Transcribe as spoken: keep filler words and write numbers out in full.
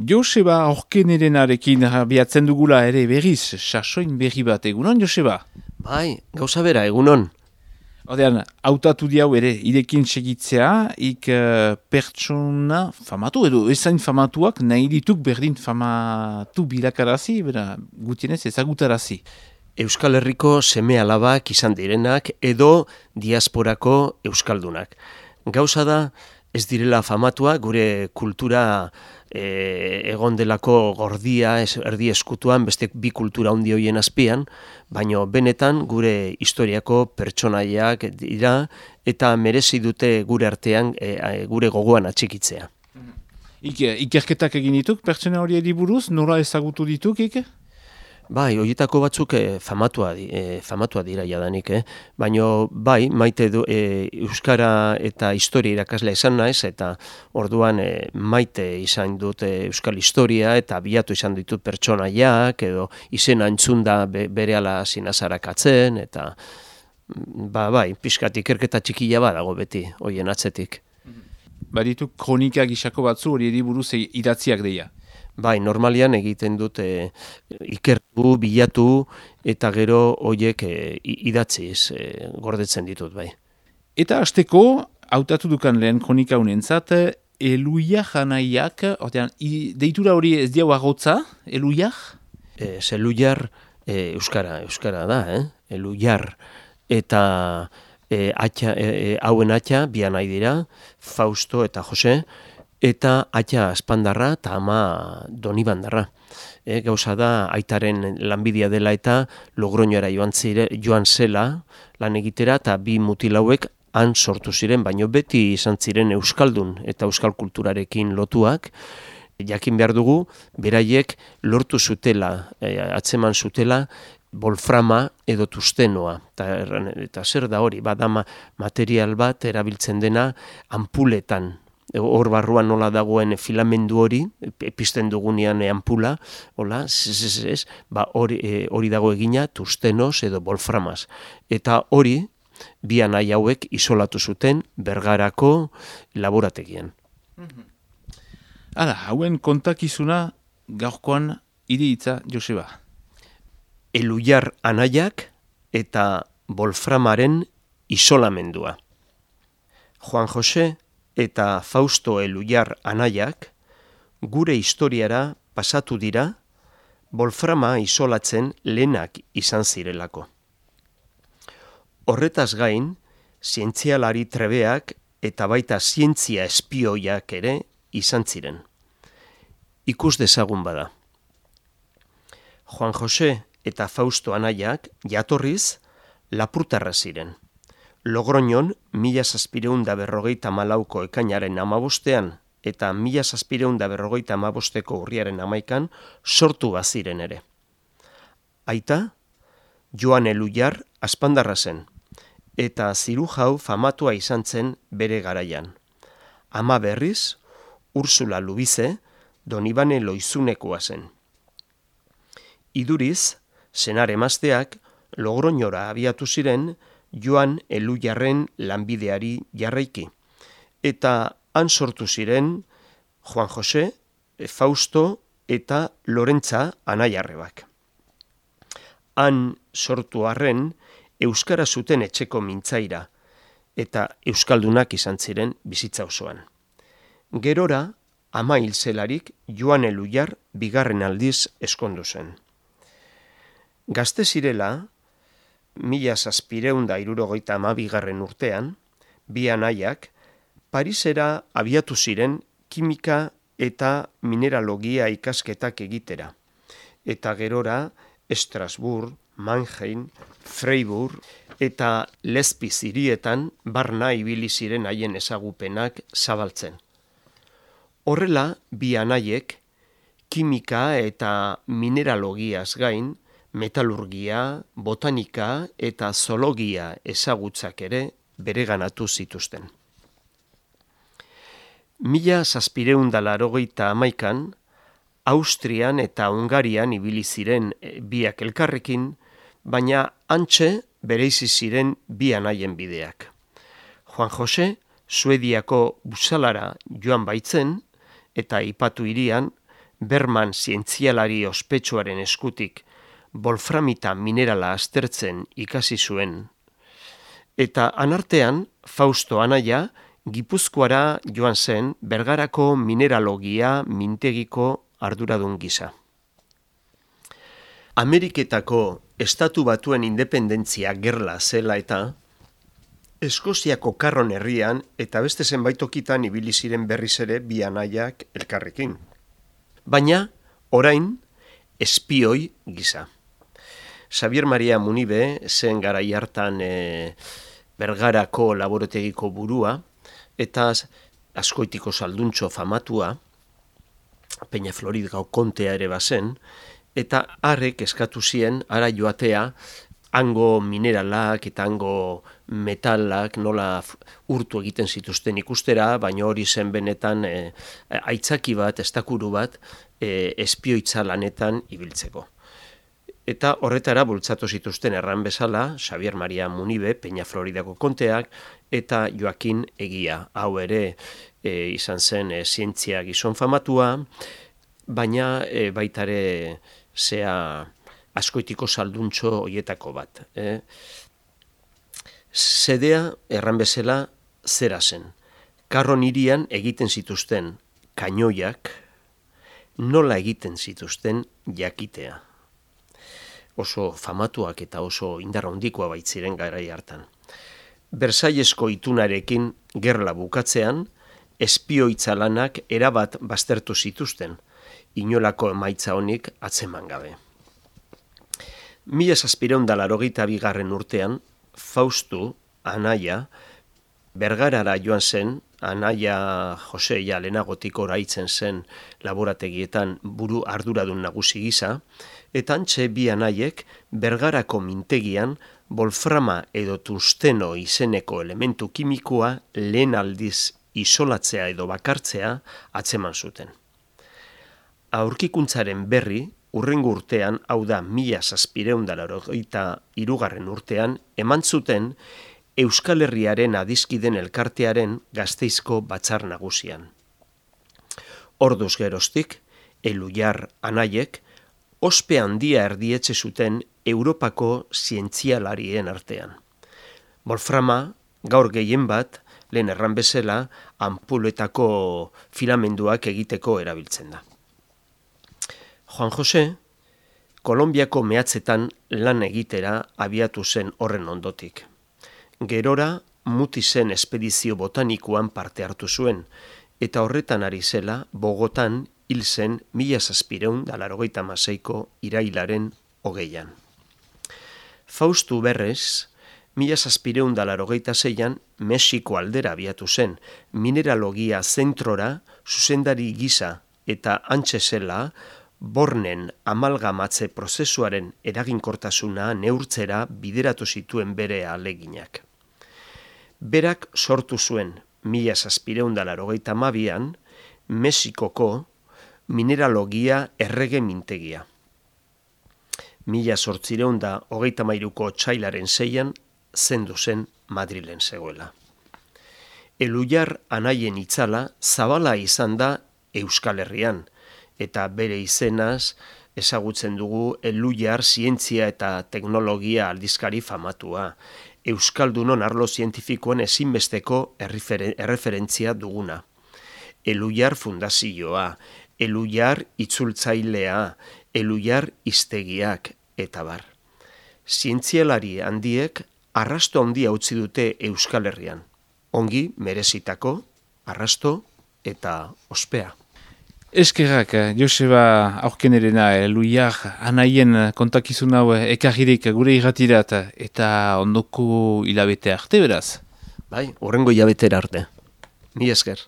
Joseba Orkenerenarekin abiatzen dugula ere berriz, sasoin berri bat, egunon, Joseba? Bai, gauza bera, egunon. Ordean, hautatu diau ere, irekin segitzea, ik uh, pertsona famatu, edo ezain famatuak nahi dituk berdin famatu bilakarazi, bera, gutienez ezagutarazi. Euskal Herriko seme alabak izan direnak edo diasporako euskaldunak. Gauza da, ez direla famatua, gure kultura e, egon delako gordia, ez, erdi eskutuan, beste bi kultura handi hoien azpian, baino benetan gure historiako pertsonaiak dira eta merezi dute gure artean, e, gure gogoan atxikitzea. Ik, ikerketak egin dituk, pertsona horiei buruz, nola ezagutu dituk, ik? Bai, horietako batzuk e, famatua, e, famatua dira jadanik, eh? Baina bai, maite du, e, Euskara eta historia irakaslea izan naiz, eta orduan e, maite izan dut e, Euskal Historia, eta bilatu izan ditut pertsonaiak, edo izena entzunda be, berehala zinazarakatzen, eta ba, bai, pixkat ikerketa txikila badago beti, horien atzetik. Baditu kronika gisako batzu horiei buruz idatziak deia. Bai, normalian egiten dut e, ikertu, bilatu, eta gero horiek e, idatziz e, gordetzen ditut, bai. Eta hasteko, hautatu dukan lehen kronika unentzat, Eluia janaiak, ordean, deitura hori ez diau agotza, Eluiak? E, Eluiar e, euskara, euskara da, eh? Eluiar. Eta e, atxa, e, hauen atxa, bian nahi dira, Fausto eta Jose, eta atxa Aspandarra eta ama Donibandarra. E, gauza da, aitaren lanbidea dela eta Logroñora joan, zire, joan zela lan egitera, eta bi mutil hauek han sortu ziren, baino beti izan ziren euskaldun eta euskal kulturarekin lotuak. Jakin behar dugu, beraiek lortu zutela, e, atzeman zutela, wolframa edo tustenoa. Eta, eta zer da hori, badama material bat erabiltzen dena ampuletan. Hor barruan nola dagoen filamendu hori, pizten dugunean ampula, hola, ez, ez, ez, ba, hori, e, hori dago egina tustenos edo wolframaz. Eta hori, bi anai hauek isolatu zuten Bergarako laborategian. Hala, hauen kontakizuna gaurkoan hiri hitza, Joseba. Eluiar anaiak eta wolframaren isolamendua. Juan Jose eta Fausto Eluiar anaiak gure historiara pasatu dira wolframa isolatzen lehenak izan zirelako. Horretaz gain, zientzialari trebeak eta baita zientzia espioiak ere izan ziren. Ikus dezagun bada. Juan Jose eta Fausto anaiak jatorriz Lapurtarra ziren. Logroñon mila zazpireun da berrogeita malauko ekainaren amabostean eta mila zazpireun da berrogeita amabosteko urriaren amaikan sortu baziren ere. Aita, Joan Eluiar Aspandarra zen, eta zirujau famatua izan zen bere garaian. Ama berriz, Ursula Lubize, Donibane Loizunekoa zen. Iduriz, senar emazteak Logroñora abiatu ziren Joan Eluiarren lanbideari jarraiki. Eta han sortu ziren Juan Jose, Fausto eta Lorentza anaiarrebak. Han sortu arren euskara zuten etxeko mintzaira eta euskaldunak izan ziren bizitza osoan. Gerora, ama hil zelarik Joan Eluiar bigarren aldiz eskondu zen. Gazte zirela, mila zazpireun da hirurogeita hamabigarren urtean, bi anaiak, Parisera abiatu ziren kimika eta mineralogia ikasketak egitera. Eta gerora Estrasburg, Mannheim, Freiburg eta Lespiz hirietan barna ibili ziren haien ezagupenak zabaltzen. Horrela, bi anaiek, kimika eta mineralogiaz gain, metalurgia, botanika eta zoologia ezagutzak ere bereganatu zituzten. Mila zazpireun da laurogeita hamaikan, Austrian eta Hungarian ibili ziren biak elkarrekin, baina hantxe bereizi ziren bi anaien bideak. Juan Jose, Suediako Busalara joan baitzen, eta ipatu hirian, Berman zientzialari ospetsuaren eskutik wolframita minerala aztertzen ikasi zuen. Eta anartean, Fausto anaia, Gipuzkoara joan zen Bergarako mineralogia mintegiko arduradun gisa. Ameriketako estatu batuen independentzia gerla zela eta Eskoziako Karron herrian eta beste zenbait tokitan ibili ziren berriz ere bi anaiak elkarrekin. Baina, orain, espioi gisa. Xavier Maria Munibe zen garai hartan e, Bergarako laborategiko burua eta Azkoitiko salduntxo famatua, Peñafloridako kontea ere bazen, eta harrek eskatu zien ara joatea hango mineralak eta hango metalak nola urtu egiten zituzten ikustera, baina hori zen benetan e, aitzaki bat, estakuru bat, e, espioitza lanetan ibiltzeko. Eta horretara bultzatu zituzten erran bezala, Xavier Maria Munibe, Peñafloridako konteak, eta Joakin Egia. Hau ere e, izan zen e, zientzia gizon famatua, baina e, baitare zea Azkoitiko salduntxo hoietako bat. E. Zedea, erran bezala, zera zen. Karron hirian egiten zituzten kainoiak, nola egiten zituzten jakitea. Oso famatuak eta oso indar handikoa baitziren garai hartan. Bersailesko itunarekin gerla bukatzean, espioitza lanak erabat baztertu zituzten, inolako emaitza honik atzeman gabe. Mila zazpireun da laurogeita bigarren urtean, Faustu, anaia, Bergarara joan zen, anaia Joseia lehenagotik oraitzen zen laborategietan buru arduradun nagusi gisa, eta antxe bi anaiek Bergarako mintegian wolframa edo tungsteno izeneko elementu kimikoa lehen aldiz isolatzea edo bakartzea atzeman zuten. Aurkikuntzaren berri, urrengo urtean, hau da mila zazpireun da laurogeita hirugarren urtean, eman zuten Euskal Herriaren adizkiden elkartearen Gasteizko batzar nagusian. Orduz geroztik, Eluyar anaiek, ospe handia erdietxe zuten Europako zientzialarien artean. Wolframa, gaur gehien bat, lehen erran bezala, anpuletako filamenduak egiteko erabiltzen da. Juan Jose, Kolonbiako mehatzetan lan egitera abiatu zen horren ondotik. Gerora, muti zen espedizio botanikoan parte hartu zuen, eta horretan ari zela Bogotan hil zen mila zazpireun da laurogeita hamaseiko irailaren hogeian. Faustu berrez, mila zazpireun da laurogeita seian Mexiko aldera abiatu zen, mineralogia zentrora zuzendari gisa eta antxe zela Bornen amalgamatze prozesuaren eraginkortasuna neurtzera bideratu zituen bere ahaleginak. Berak sortu zuen mila zazpireun da laurogeita hamabian Mexikoko mineralogia errege mintegia. Mila zortzireun da hogeita hamairuko otsailaren seian zendu zen Madrilen zegoela. Eluyar anaien itzala zabala izan da Euskal Herrian, eta bere izenaz ezagutzen dugu Eluyar zientzia eta teknologia aldizkari famatua, Euskaldunon arlo zientifikoen ezinbesteko erreferentzia duguna. Eluyar fundazioa, Eluyar itzultzailea, Eluyar hiztegiak, eta bar. Zientzialari handiek arrasto handia utzi dute Euskal Herrian. Ongi merezitako arrasto eta ospea. Eskerrak, Joseba aurkenerena, Eluyar anaien kontakizun hau ekarririk gure irratirat eta ondoko hilabete arte beraz. Bai, horrengo hilabetera arte. Mi esker.